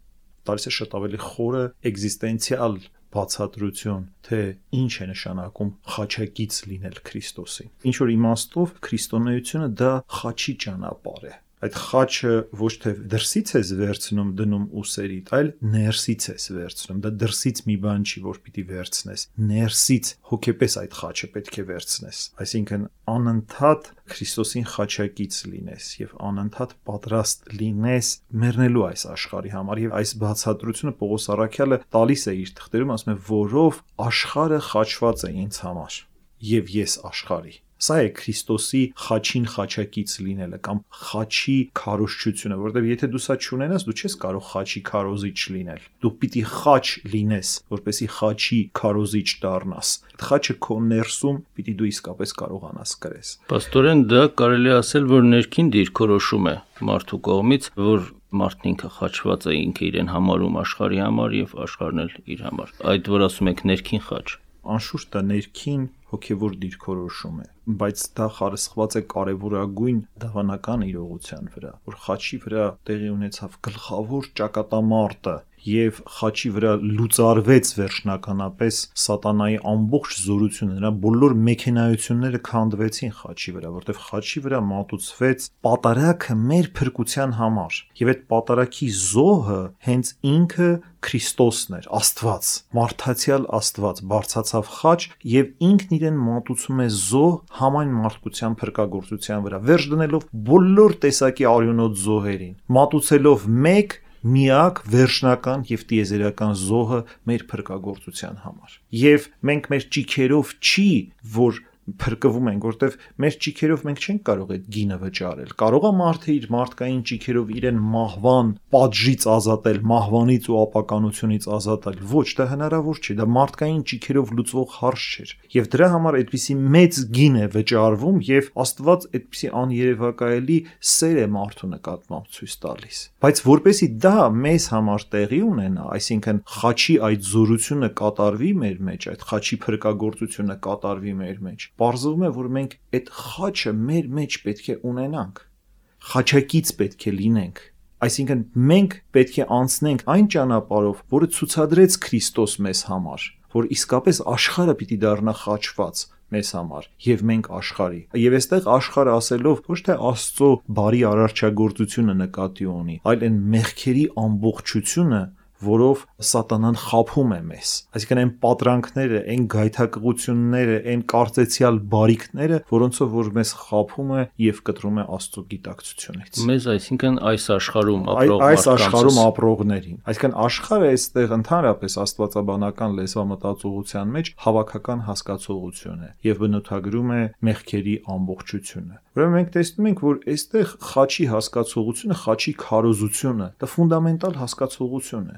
Տալիս է շատ ավելի խորը էգզիստենցիալ բացատրություն, թե ինչ է նշանակում խաչակից լինել Քրիստոսի։ Ինչ որ իմաստով քրիստոնեությունը դա խաչի ճանապարհ է։ Այդ խաչը ոչ թե դրսից ես վերցնում դնում ուսերիդ, այլ ներսից ես վերցնում։ Դա դրսից մի բան չի, որ պիտի վերցնես։ Ներսից հոգեպես այդ խաչը պետք է վերցնես։ Այսինքն անընդհատ Քրիստոսին խաչակից լինես եւ անընդհատ պատրաստ լինես մեռնելու այս աշխարհի համար։ Եվ այս բացատրությունը Պողոս Առաքյալը տալիս է իր թղթերում, ասում է, որով աշխարհը խաչված է ինձ համար եւ ես աշխարհի։ Սա է Քրիստոսի խաչին խաչակից լինելը կամ խաչի քարոզչությունը, որովհետև եթե դու սա չունենաս, դու չես կարող խաչի քարոզիչ լինել։ Դու պիտի խաչ լինես, որպեսզի խաչի քարոզիչ դառնաս։ Այդ խաչը քո ներսում պիտի դու իսկապես կարողանաս կրես։ Պաստորեն դա կարելի ասել, որ ներքին դիրքորոշում է մարդու կողմից, որ մարդն ինքը խաչված է, ինքը իրեն համարում աշխարհի համար եւ աշխարհն էլ իր համար։ Այդ որ ասում եք ներքին խաչ, անշուշտ դա ներքին հոգևոր դիրքորոշում է, բայց դա խարսխված է կարևորագույն դավանական իրողության վրա, որ խաչի վրա տեղի ունեցավ գլխավոր ճակատամարտը եւ խաչի վրա լուծարվեց վերջնականապես սատանայի ամբողջ զորությունը, նրա բոլոր մեքենայությունները քանդվեցին խաչի վրա, որտեղ խաչի վրա մատուցվեց պատարագը մեր փրկության համար, եւ այդ պատարագի զոհը հենց ինքը Քրիստոսն էր, Աստված, մարդացյալ Աստված բարձացավ խաչ եւ ինքն իրեն մատուցում է զոհ համայն մարդկության փրկagorցության վրա, վերջ դնելով բոլոր տեսակի արյունոտ զոհերին, մատուցելով մեկ միակ վերջնական եւ տիեզերական զոհը մեր փրկagorցության համար։ Եվ մենք մեր ճիքերով չի, որ փրկվում ենք, որտեվ մեր ճիքերով մենք չենք կարող այդ գինը վճարել։ Կարող է մարդը իր մարդկային ճիքերով իրեն մահվան պատժից ազատել, մահվանից ու ապականությունից ազատել։ Ոչ, դա հնարավոր չէ, դա մարդկային ճիքերով լուծվող հարց չէ։ Եվ դրա համար այդպիսի մեծ գին է վճարվում եւ Աստված այդպիսի աներևակայելի սեր է մարդու նկատմամբ ցույց տալիս։ Բայց որպեսզի դա մեզ համար տեղի ունենա, այսինքն խաչի այդ զորությունը կատարվի մեր մեջ, այդ խաչի փրկagorցությունը կատարվի մեր մեջ, պարզվում է, որ մենք այդ խաչը մեր մեջ պետք է ունենանք, խաչակից պետք է լինենք, այսինքն մենք պետք է անցնենք այն ճանապարհով, որը ցուցադրեց Քրիստոս մեզ համար, որ իսկապես աշխարհը պիտի դառնա խաչված մեզ համար եւ մենք աշխարհի։ Եվ այստեղ աշխարհը ասելով ոչ թե Աստծո բարի արարչագործությունը նկատի ունի, այլ այն մեղքերի ամբողջությունը, որով սատանան խաբում է մեզ։ Այսինքն այն պատրանքները, այն գայթակղությունները, այն կարծեցյալ բարիքները, որոնցով որ մեզ խաբում է եւ կտրում է Աստծո գիտակցությունից։ Մեզ, այսինքն այս աշխարհում ապրողներին։ Այսինքն աշխարհը այստեղ ընդհանրապես աստվածաբանական լեզվամտածողության մեջ հավաքական հասկացողություն է եւ բնութագրում է մեղքերի ամբողջությունը։ Ուրեմն մենք տեսնում ենք, որ այստեղ խաչի հասկացողությունը, խաչի քարոզությունը, դա ֆունդամենտալ հասկացողություն է։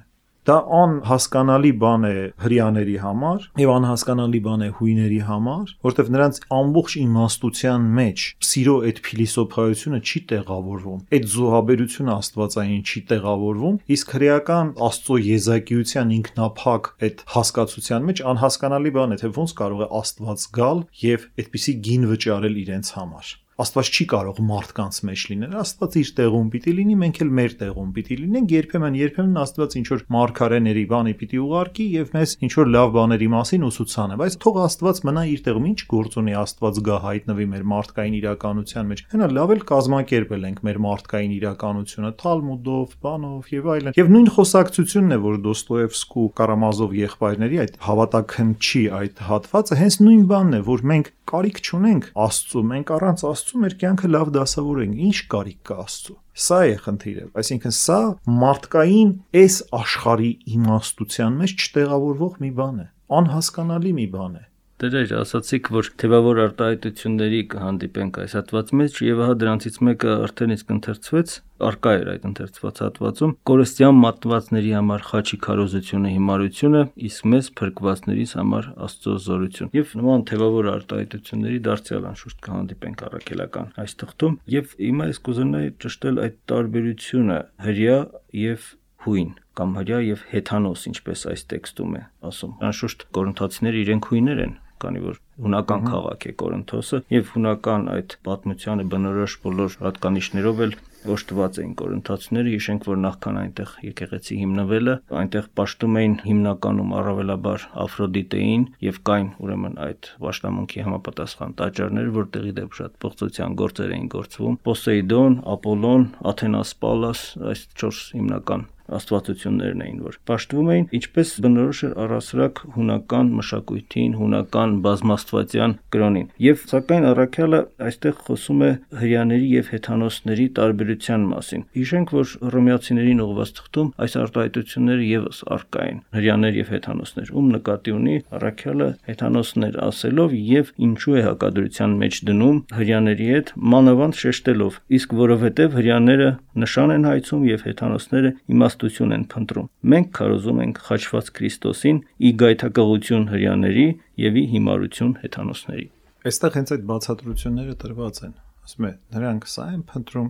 Դա անհասկանալի բան է հрьяաների համար եւ անհասկանալի բան է հույների համար, որտեղ նրանց ամբողջ իմաստության մեջ սիրո այդ փիլիսոփայությունը չի տեղավորվում, այդ զոհաբերությունը աստվածային չի տեղավորվում, իսկ հրեական Աստծո եզակիության ինքնափակ այդ հասկացության մեջ անհասկանալի բան է, թե ոնց կարող է Աստված գալ եւ այդպիսի գին վճարել իրենց համար։ Աստված չի կարող մարդկանց մեջ լինել, Աստված իր տեղում պիտի լինի, մենք էլ մեր տեղում պիտի լինենք, երբեմն Աստված ինչ որ մարգարեների բանի պիտի ուղարկի եւ մեզ ինչ որ լավ բաների մասին ուսուցանե, բայց թող Աստված մնա իր տեղում, ինչ գործ ունի Աստված գա հայտնվի մեր մարդկային իրականության մեջ։ Հենա լավ էլ կազմակերպել ենք մեր մարդկային իրականությունը Թալմուդով, բանով եւ այլն։ Եվ նույն խոսակցությունն է, որ Դոստոևսկու Կարամազով եղբայրների այդ հավատաքնչի այդ հատվածը հենց նույն բանն է, որ մենք կարիք չունենք Աստծո, մենք առանց Աստծո մեր կյանքը լավ դասավորենք, ինչ կարիք կա Աստծո։ Սա է խնդիրը, այսինքն սա մարդկային այս աշխարհի իմաստության մեջ չտեղավորվող մի բան է, անհասկանալի մի բան է։ Դեր ասացիք, որ թեւավոր արտահայտությունների կհանդիպենք այս հատվածի մեջ եւ հա դրանցից մեկը արդեն իսկ ընթերցվեց, արկա էր այդ ընթերցված հատվածում, կորստյան մատվածների համար խաչի քարոզությունը հիմարությունը, իսկ մեզ փրկվածներիս համար Աստծո զորություն։ Եվ նման թեւավոր արտահայտությունների դարձյալ անշուշտ կհանդիպենք առաքելական այս թղթում, եւ հիմա ես կուզենայի ճշտել այդ տարբերությունը հրյա եւ հույն կամ հրյա եւ հեթանոս, ինչպես այս տեքստում է ասում։ Անշուշտ կորինթացիները իրենք հույներ են, քանի որ հունական քաղաք է Կորինթոսը եւ հունական այդ պատմությանը բնորոշ բոլոր հատկանիշներով էլ օժտված էին կորինթացիները։ Հիշենք, որ նախքան այնտեղ եկեղեցի հիմնվելը, այնտեղ պաշտում էին հիմնականում առավելաբար Աֆրոդիտեին եւ կային ուրեմն այդ պաշտամունքի համապատասխան տաճարներ, որտեղի դեպ շատ փոխծության գործեր էին գործվում։ Պոսեյդոն, Ապոլոն, Աթենաս, Պալլաս, այս 4 հիմնական աստվածություններն էին, որ պաշտվում էին, ինչպես բնորոշ էր առասրակ հունական մշակույթին, հունական բազմաստվածյան կրոնին։ Եվ սակայն առաքյալը այստեղ խոսում է հրեաների եւ հեթանոսների տարբերության մասին։ Հիշենք, որ հռոմեացիներին ուղղված թղթում այս արտահայտությունները եւս առկա են՝ հրեաներ եւ հեթանոսներ, ում նկատի ունի առաքյալը հեթանոսներ ասելով եւ ինչու է հակադրության մեջ դնում հրեաների հետ, մանավանդ շեշտելով, իսկ որովհետեւ հրեաները նշան են հայցում եւ հեթանոսները իմաստություն են փնտրում։ Մենք քարոզում ենք խաչված Քրիստոսին՝ ի գայթակղություն հրեաների եւ ի հիմարություն հեթանոսների։ Այստեղ հենց այդ բացատրությունները տրված են։ Ասում է, նրանք սա են փնտրում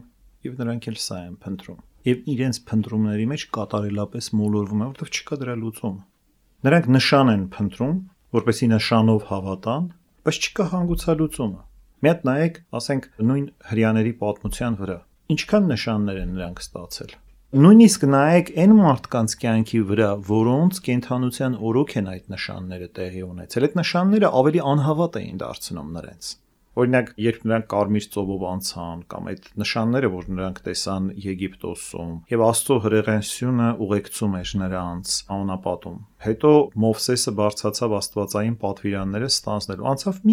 եւ նրանք էլ սա են փնտրում։ Եվ իրենց փնտրումների մեջ կատարելապես մոլորվում է, որովհետեւ չկա դրա լուծում։ Նրանք նշան են փնտրում, որպեսզի նշանով հավատան, բայց չկա հանգուցալուծումը։ Մի հատ նայեք, ասենք, նույն հրեաների պատմության վրա։ Ինչքան նշաններ են նրանք ստացել։ Նույնիսկ նայեք այն մարդկանց կյանքի վրա, որոնց կենթանության օրոք են այդ նշանները տեղի ունեցել։ Այդ նշանները ավելի անհավատ էին դարձնում նրանց։ Օրինակ, երբ նրանք Կարմիր ծովով անցան, կամ այդ նշանները, որ նրանք տեսան Եգիպտոսում, եւ Աստծո հրեղենությունը ուղեկցում էր նրանց անապատում։ Հետո Մովսեսը բարձրացավ աստվածային պատվիրանները ստանձնելու։ Անցավ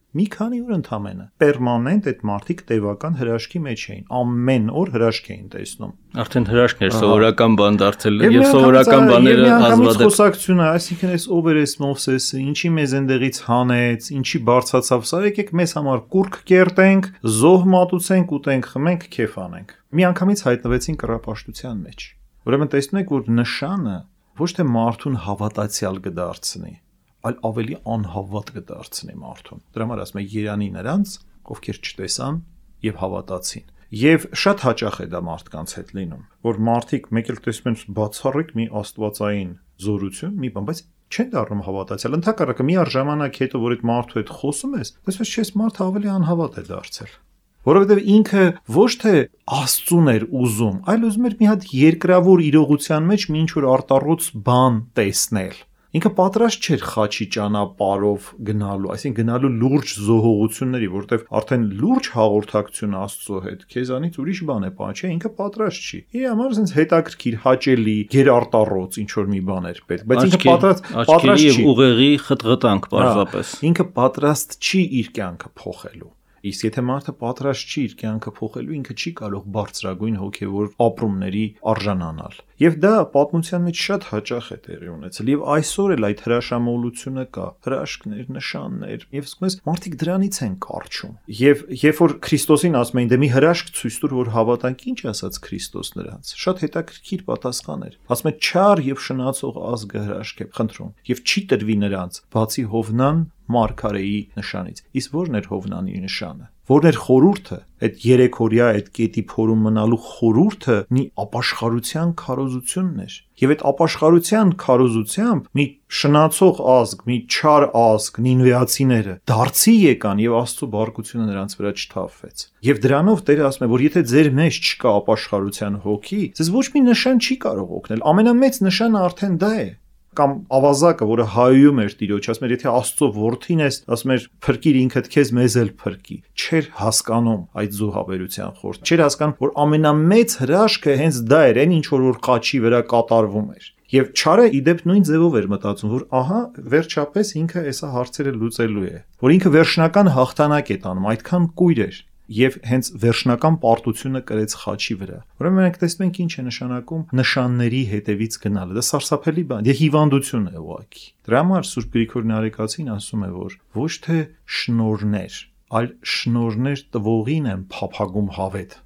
մի քանի օր ընդամենը։ Պերմանենտ այդ մարդիկ տևական հրաշքի մեջ էին։ Ամեն օր հրաշք էին տեսնում։ Արդեն հրաշքն էր սովորական բան դարձել եւ սովորական բաները ազդված խոսակցությունը, այսինքն այս ով էր այս Մովսեսը, ինչի մեզ այնտեղից հանեց, ինչի բարձացավ, սա եկեք մեզ համար կուրք կերտենք, զոհ մատուցենք, ուտենք, խմենք, քեֆ անենք։ Միանգամից հայտնվեցին կռապաշտության մեջ։ Ուրեմն տեսնում եք, որ նշանը ոչ թե մարդուն հավատացյալ կդարձնի, այլ ավելի անհավատ կդարձնի մարդուն։ Դրա համար ասում է Երանի նրանց, ովքեր չտեսան եւ հավատացին։ Եվ շատ հաճախ է դա մարդկանց հետ լինում, որ մարդիկ մեկ էլ տեսնում են բացառիկ մի աստվածային զորություն, մի բան, բայց չեն դառնում հավատացյալ։ Ընդհակառակը մի առժամանակ հետո, որ այդ մարդու հետ խոսում ես, տեսնում ես մարդը ավելի անհավատ է դարձել։ Որովհետև ինքը ոչ թե Աստծուն էր ուզում, այլ ուզում էր մի հատ երկրավոր իրողության մեջ մի ինչ-որ արտառոց բան տեսնել։ Ինքը պատրաստ չէր խաչի ճանապարհով գնալու, այսինքն գնալու լուրջ զոհողությունների, որտեղ արդեն լուրջ հաղորդակցություն Աստծո հետ, քեզանից ուրիշ բան է պատճառ, չէ, ինքը պատրաստ չի։ Իր համար ասենց հետաքրքիր, հաճելի, գերարտառոց ինչ որ մի բան էր պետք, բայց ինքը պատրաստ չի ուղեղի խտղտանք պարզապես։ Ինքը պատրաստ չի իր կյանքը փոխելու։ Իսկ եթե մարդը պատրաստ չի իր կյանքը փոխելու, ինքը չի կարող բարձրագույն հոգևոր ապրումների արժանանալ։ Եվ դա պատմության մեջ շատ հաճախ է տեղի ունեցել, եւ այսօր էլ այդ հրաշամոլությունը կա, հրաշքներ, նշաններ, եւ ասում ես մարդիկ դրանից են կարճում։ Եվ երբ որ Քրիստոսին ասում էին, դե մի հրաշք ցույց տուր, որ հավատանք, ինչ ասաց Քրիստոս նրանց։ Շատ հետաքրքիր պատասխան էր։ Ասում է չար եւ շնացող ազգը հրաշք է խնդրում, եւ չի տրվի նրանց, բացի Հովնան Մարգարեի նշանից։ Իսկ ո՞րն էր Հովնանի նշանը։ Որն էր խորհուրդը, այդ երեքօրյա այդ կետի փորում մնալու խորհուրդը մի ապաշխարության քարոզությունն էր։ Եվ այդ ապաշխարության քարոզությամբ մի շնացող ազգ, մի չար ազգ, նինվեացիները դարձի եկան եւ Աստծո բարգությունը նրանց վրա չթափվեց։ Եվ դրանով Տերը ասում է, որ եթե ձեր մեջ չկա ապաշխարության հոգի, ձեզ ոչ մի նշան չի կարող օգնել։ Ամենամեծ նշանը արդեն դա է։ Կամ ավազակը, որը հայում էր Տիրոջ, ասում էր, եթե Աստծո որդին ես, ասում էր, փրկիր ինքդ քեզ, մեզ էլ փրկի։ Չէր հասկանում այդ զոհաբերության խորհուրդ։ Չէր հասկանում, որ ամենամեծ հրաշքը հենց դա էր, այն ինչ որ խաչի վրա կատարվում էր։ Եվ չարը իդեպ նույն ձևով էր մտածում, որ ահա վերջապես ինքը այսա հարցերը լուծելու է, որ ինքը վերջնական հաղթանակ է տանում, այդքան կույր էր։ Եվ հենց վերջնական պարտությունը կրեց խաչի վրա։ Ուրեմն մենք տեսնում ենք ինչ է նշանակում նշանների հետևից գնալը։ Դա սարսափելի բան է, հիվանդություն է ուղղակի։ Դրա համար Սուրբ Գրիգոր Նարեկացին ասում է, որ ոչ թե շնորհներ, այլ շնորհներ տվողին են փափագում հավետ։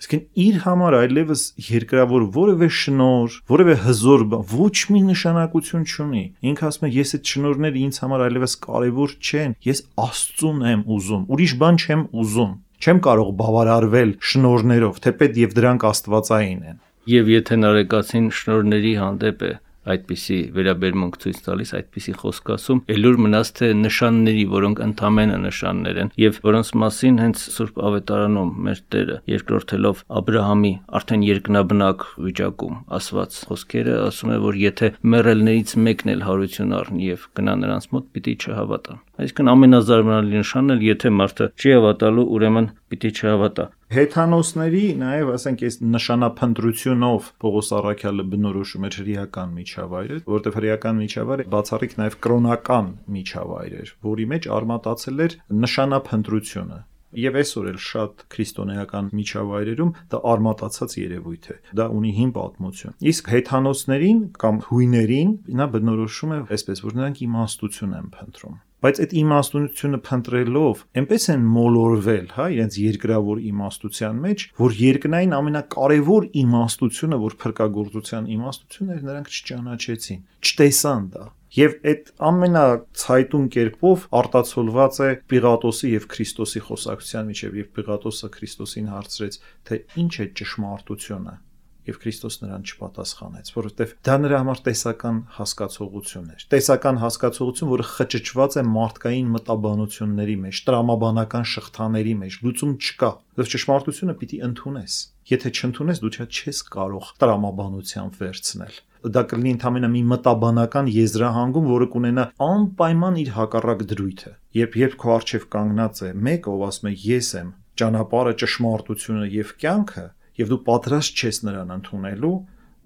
Իսկն իր համար այլևս երկրավոր որևէ շնոր, որևէ հզոր բան ոչ մի նշանակություն չունի։ Ինքը ասում է, ես այդ շնորհները ինձ համար այլևս կարևոր չեն, ես Աստծուն եմ ուզում, ուրիշ բան չեմ ուզում։ Չեմ կարող բավարարվել շնորհներով, թեպետ եւ դրանք աստվածային են։ Եվ եթե Նարեկացին շնորհների հանդեպ է, այդպիսի վերաբերմունք ցույց տալիս, այդպիսի խոսք ասում, ելուր մնաց թե նշանների, որոնք ընդամենը նշաններ են, եւ որոնց մասին հենց Սուրբ Ավետարանում մեր Տերը երկրորդելով Աբրահամի արդեն երկնաբնակ վիճակում ասված խոսքերը ասում է, որ եթե մեռելներից մեկն էլ հարություն առնի եւ գնա նրանց մոտ, պիտի չհավատան։ Այսինքն ամենազարմանալի նշանն էլ եթե մարդը չի հավատալու, ուրեմն պիտի չհավատա։ Հեթանոսների նաև, ասենք, այս նշանափնտրությունով Պողոս Առաքյալը բնորոշում էր հրեական միջավայրը, որտեղ հրեական միջավայրը բացառիկ նաև կրոնական միջավայր էր, որի մեջ արմատացել էր նշանափնտրությունը։ Եվ այսօր էլ շատ քրիստոնեական միջավայրերում դա արմատացած երևույթ է։ Դա ունի հին պատմություն։ Իսկ հեթանոսներին կամ հույներին նա բնորոշում է այսպես, որ նրանք իմաստություն են փնտրում։ Բայց այդ իմաստությունը փնտրելով այնպես են մոլորվել, իրենց երկրավոր իմաստության մեջ, որ երկնային ամենակարևոր իմաստությունը, որ փրկagorցության իմաստությունն էր, նրանք չճանաչեցին, չտեսան դա։ Եվ այդ ամենացայտուն կերպով արտացոլված է Պիղատոսի եւ Քրիստոսի խոսակցության միջեւ, եւ Պիղատոսը Քրիստոսին հարցրեց, թե ինչ է ճշմարտությունը, եւ Քրիստոս նրան չպատասխանեց, որովհետեւ դա նրա համար տեսական հասկացողություն էր։ Տեսական հասկացողություն, որը խճճված է մարդկային մտաբանությունների մեջ, տրամաբանական շղթաների մեջ, լուծում չկա։ Դու ճշմարտությունը պիտի ընդունես։ Եթե չընդունես, դու չես կարող տրամաբանությամբ վերցնել։ Դա կլինի ընդամենը մի մտաբանական եզրահանգում, որը կունենա անպայման իր հակառակ դրույթը։ Երբ քո առջև կանգնած է մեկը, ով ասում է ես եմ ճանապարհը, ճշմարտությունը եւ կյանքը, եւ դու պատրաստ չես նրան ընդունելու,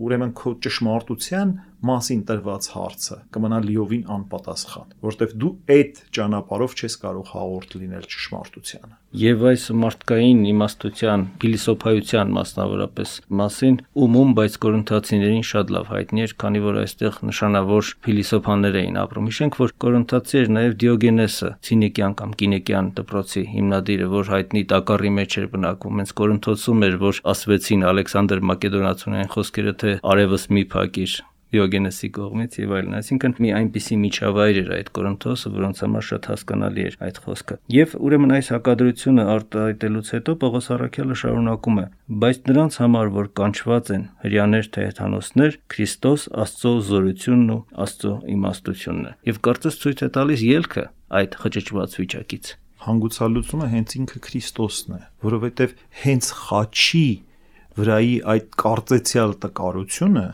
ուրեմն քո ճշմարտության մասին տրված հարցը կմնա լիովին անպատասխան, որովհետեւ դու այդ ճանապարհով չես կարող հաղորդ լինել ճշմարտությանը։ Եվ այս մարդկային իմաստության, փիլիսոփայության մասնավորապես մասին ումում, բայց կորինթացիներին շատ լավ հայտնի էր, քանի որ այստեղ նշանավոր փիլիսոփաներ էին ապրում։ Հիշենք, որ կորինթացի էր նաև Դիոգենեսը, ցինիկյան կամ կինեկյան դպրոցի հիմնադիրը, որ հայտնի տակառի մեջ էր բնակվում։ Հենց Կորինթոսում էր, որ ասվեցին Ալեքսանդր Մակեդոնացուն խոսքերը, թե արևս մի փակիր Դիոգենեսի կողմից եւ այլն, այսինքն մի այնպիսի միջավայր էր այդ Կորինթոսը, որոնց համար շատ հասկանալի էր այդ խոսքը։ Եվ ուրեմն այս հակադրությունը արտահայտելուց հետո Պողոս Առաքյալը շարունակում է. բայց նրանց համար, որ կանչված են հրյաներ թե հեթանոսներ, Քրիստոս Աստծո զորությունն ու Աստծո իմաստությունն է։ Եվ կարծես ցույց է տալիս ելքը այդ խճճված վիճակից։ Հանգուցալուծումը հենց ինքը Քրիստոսն է, որովհետեւ հենց խաչի վրայի այդ կարծեցյալ տկարությունը,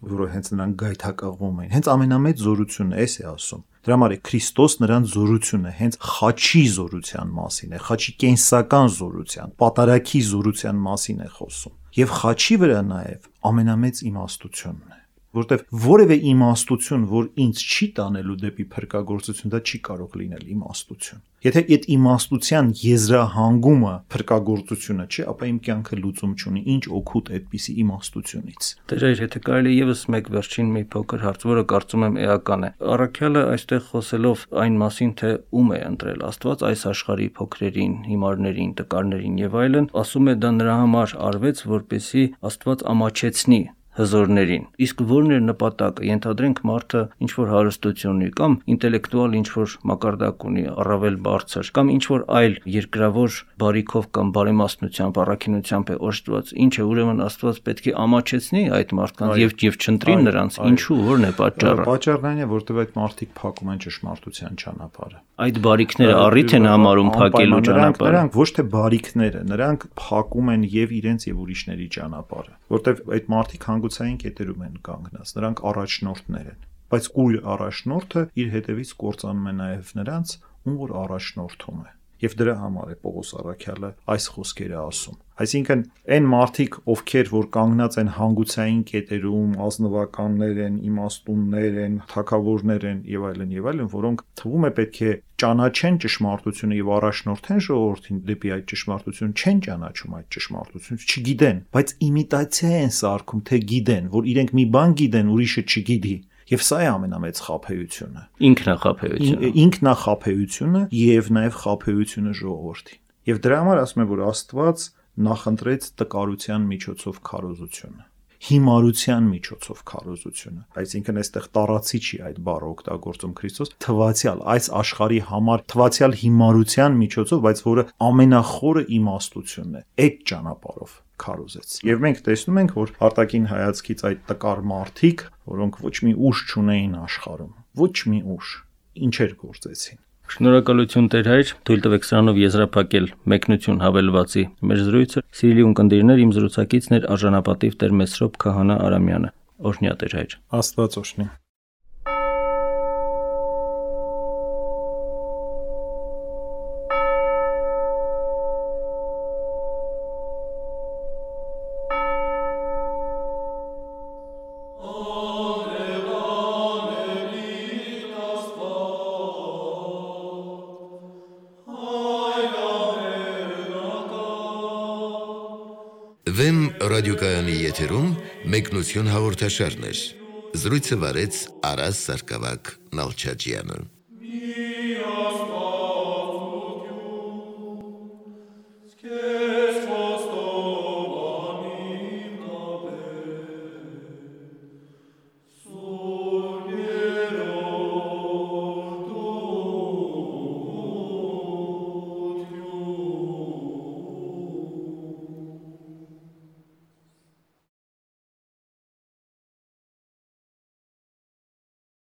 որը հենց նրան գայթակղվում էին, հենց ամենամեծ զորությունն է, էս է ասում։ Դրա համար է Քրիստոս նրան զորությունը հենց խաչի զորության մասին է, խաչի կենսական զորության, պատարագի զորության մասին է խոսում։ Եվ խաչի վրա նաև ամենամեծ իմաստությունն է, որտեվ որևէ իմաստություն, որ ինձ չի տանելու դեպի փրկagorցություն, դա չի կարող լինել իմաստություն։ Եթե այդ իմաստության եզրահանգումը փրկagorցությունը չէ, ապա իմ կյանքը լուծում չունի, ինչ օգուտ այդպիսի իմաստությունից։ Տեր, եթե կարելի եւս մեկ վերջին մի փոքր հարց, որը կարծում եմ էական է։ Առաքյալը այստեղ խոսելով այն մասին, թե ում է ընտրել Աստված այս աշխարհի փոքրերին, հիմարներին, տկարներին եւ այլն, ասում է դա նրա համար արվեց, որպեսզի Աստված ամաչեցնի հզորներին։ Իսկ որն էր նպատակը։ Ենթադրենք մարդը ինչ որ հարստություն ունի կամ ինտելեկտուալ ինչ որ մակարդակ ունի, առավել բարձր, կամ ինչ որ այլ երկրավոր բարիքով կամ բարեմաստնությամբ, առաքինությամբ է օժտված, ինչը ուրեմն Աստված պետք է ամաչեցնի այդ մարդկանց եւ չընտրի նրանց։ Ինչու, որն է պատճառը։ Պատճառն այն է, որտեղ այդ մարդիկ փակում են ճշմարտության ճանապարհը։ Այդ բարիքները առիթ են համարում փակելու ճանապարհը։ Նրանք ոչ թե բարիքները, նրանք փակում են եւ իրենց եւ ուրիշների ճանապարհը, որտեղ այդ մարդիկ հանգուցային կետերում են կանգնած, նրանք առաջնորդներ են, բայց կույր առաջնորդը իր հետևից կործանում է նաև նրանց, ում որ առաջնորդում է։ Եվ դրա համար է Պողոս Առաքյալը այս խոսքերը ասում։ Այսինքն այն մարդիկ, ովքեր որ կանգնած են հանգուցային կետերում, ազնվականներ են, իմաստուններ են, թագավորներ են եւ այլն, որոնք թվում է պետք է ճանաչեն ճշմարտությունը եւ առաջնորդեն ժողովրդին դեպի այդ ճշմարտություն, չեն ճանաչում այդ ճշմարտությունը, չգիտեն, բայց իմիտացիա են սարքում, թե գիտեն, որ իրենք մի բան գիտեն, ուրիշը չգիտի։ Եվ սա է ամենամեծ խաբեությունը։ Ինքնախաբեությունը եւ նաեւ խաբեությունը ժողովրդի։ Եվ դրա համար ասում եմ, որ Աստված նախընտրեց տկարության միջոցով քարոզությունը, հիմարության միջոցով քարոզությունը։ Այսինքն այստեղ տարածի չի այդ բառը օգտագործում Քրիստոս, թվացial այս աշխարհի համար թվացial հիմարության միջոցով, բայց որը ամենախորը իմաստությունն է, այդ ճանապարհով քարոզեց։ Եվ մենք տեսնում ենք, որ արտաքին հայացքից այդ տկար մարդիկ, որոնք ոչ մի ուժ չունեին աշխարհում, ոչ մի ուժ, ինչեր գործեցին։ Շնորհակալություն Տեր հայր, թույլ տվեք սրանով եզրափակել մեկնություն հավելվածի մեր զրույցը։ Սիրելի ունկնդիրներ, իմ զրուցակիցն էր արժանապատիվ Տեր Մեսրոպ Քահանա Արամյանը։ Օրհնյա Տեր հայր։ Աստված օրհնի։ Վեմ ռադիոկայանի եթերում մեկնություն հաղորդաշարներ։ Զրույցը վարեց Արաս Սարգսակյան Նալչաջյանը։